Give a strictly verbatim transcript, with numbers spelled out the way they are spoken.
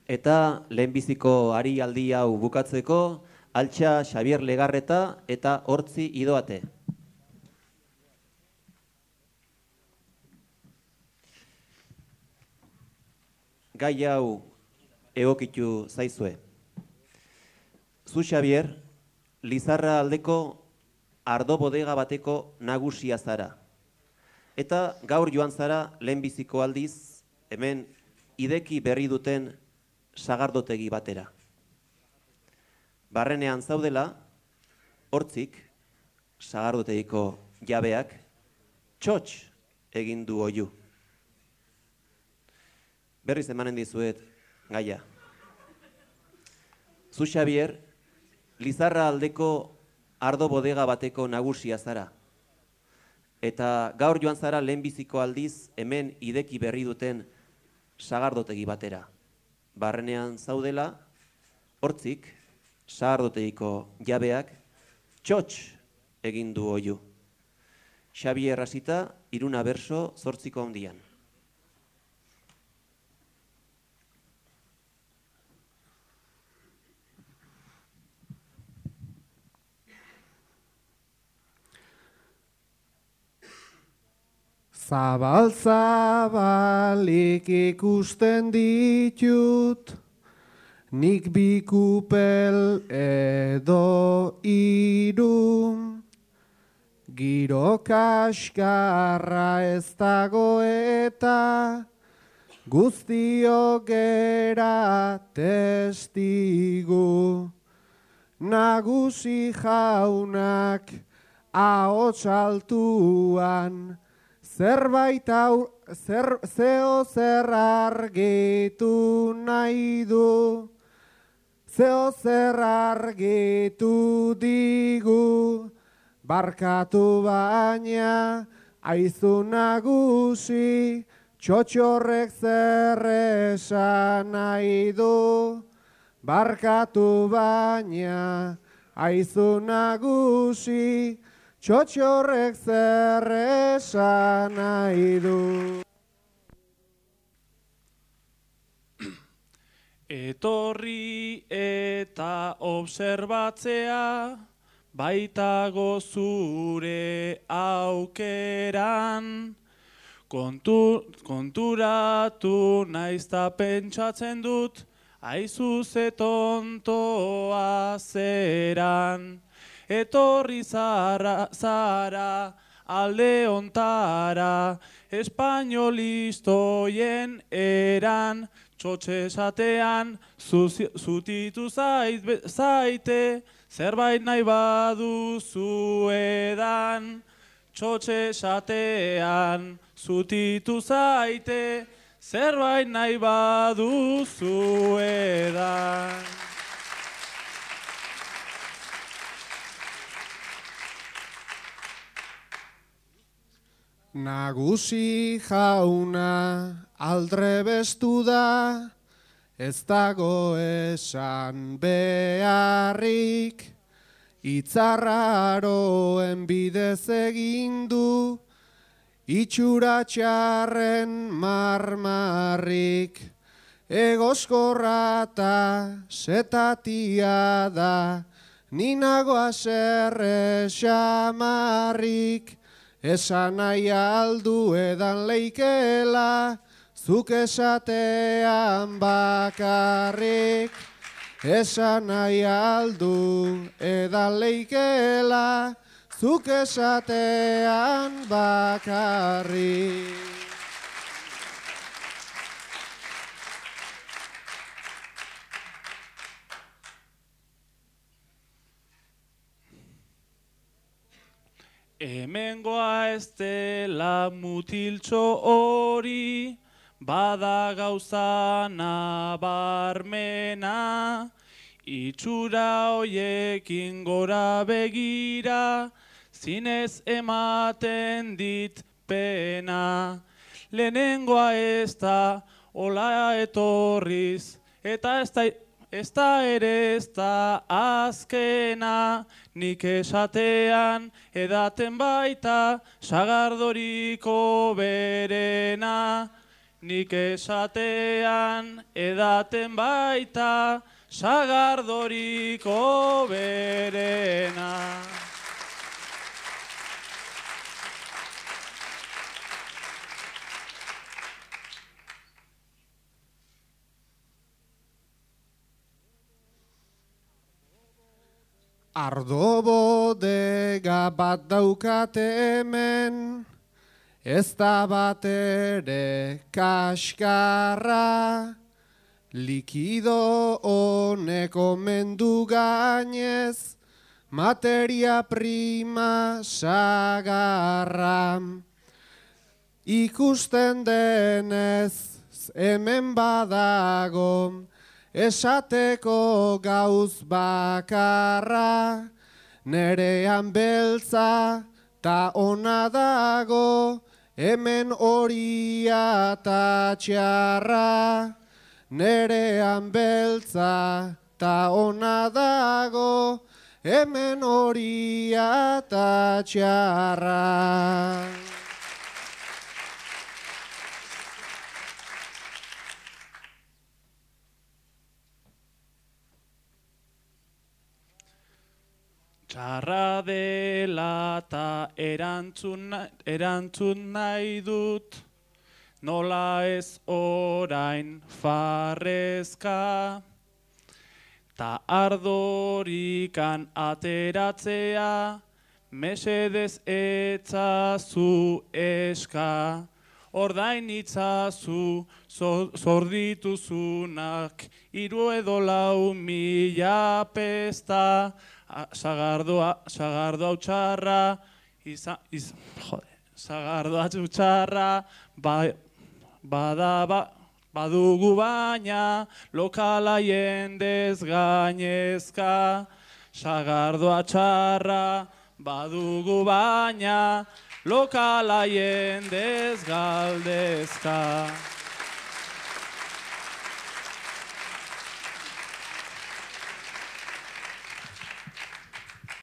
Eta lehenbiziko ari aldi hau bukatzeko, Altxa Xabier Legarreta eta Hortzi Idoate. Gai hau egokitu zaizue. Zu Xabier, Lizarra aldeko ardo bodega bateko nagusia zara. Eta gaur joan zara lehenbiziko aldiz, hemen ideki berri duten sagardotegi batera. Barrenean zaudela, Hortzik, sagardotegiko jabeak, txotx egin du oihu. Berriz emanen dizuet gaia. Zu Xabier, Lizarra aldeko ardo bodega bateko nagusia zara. Eta gaur joan zara lehenbiziko aldiz hemen ideki berri duten sagardotegi batera. Barrenean zaudela, Hortzik, sagardotegiko jabeak, txotx egin du oihu. Xabier hasita, Iruna berso zortziko handian. Zabal zabalik ikusten ditut, nik bi kupel edo hiru, giro kaskarra ez dago eta guztiok gera testigu. Nagusi jaunak ahots altuan, zerbait hau, zer, zeo zer argitu nahi du, zeo zer argitu digu, barkatu baina aizu nagusi, txotxorrek zer esan nahi du, barkatu baina aizu nagusi, txotxorrek zer esan nahi du. Etorri eta obserbatzea, baitago zure aukeran, Kontu, konturatu naizta pentsatzen dut, aizu ze tontoa zeran. Etorri zara, zara alde ontara, espainolistoien eran, txotxe esatean, zutitu zait, zaite, zerbait nahi baduzu edan. Txotxe esatean, zutitu zaite, zerbait nahi baduzu edan. Nagusi jauna aldrebestu da, ez dago esan beharrik, itzarraroen bidez egin du, itxura txarren marmarrik, egoskorra eta setatia da, ninago aserre xamarrik, esan nahi aldu edan leikela, zuk esatean bakarrik. Esan nahi aldu edan leikela, zuk esatean bakarrik. Hemengoa ez dela mutiltxo hori, bada gauza nabarmena, itxura hoiekin gora begira, zinez ematen dit pena. Lehenengoa ez da hola etorriz, eta ez da Ez da ere ez da azkena, nik esatean edaten baita sagardoriko berena. nik esatean edaten baita, sagardoriko berena. Ardo bodega bat daukate hemen, ez da bat ere kaskarra, likido honeko mendu gainez, materia prima sagarra. Ikusten denez hemen badago, esateko gauz bakarra, nerean beltza ta ona dago, hemen horia ta txarra. Nerean beltza ta ona dago, hemen horia ta txarra. Txarra dela ta erantzun, erantzun nahi dut, nola ez orain farrezka, ta ardorikan ateratzea, mesedez etzazu eska, ordain itzazu zordituzunak, hiru edo lau mila pesta, sagardoa, sagardoa utxarra, izan, iz, jode, sagardoa utxarra, ba, bada, ba, badugu baina, lokala jendez gainezka, sagardoa txarra, badugu baina, lokala jendez galdezka.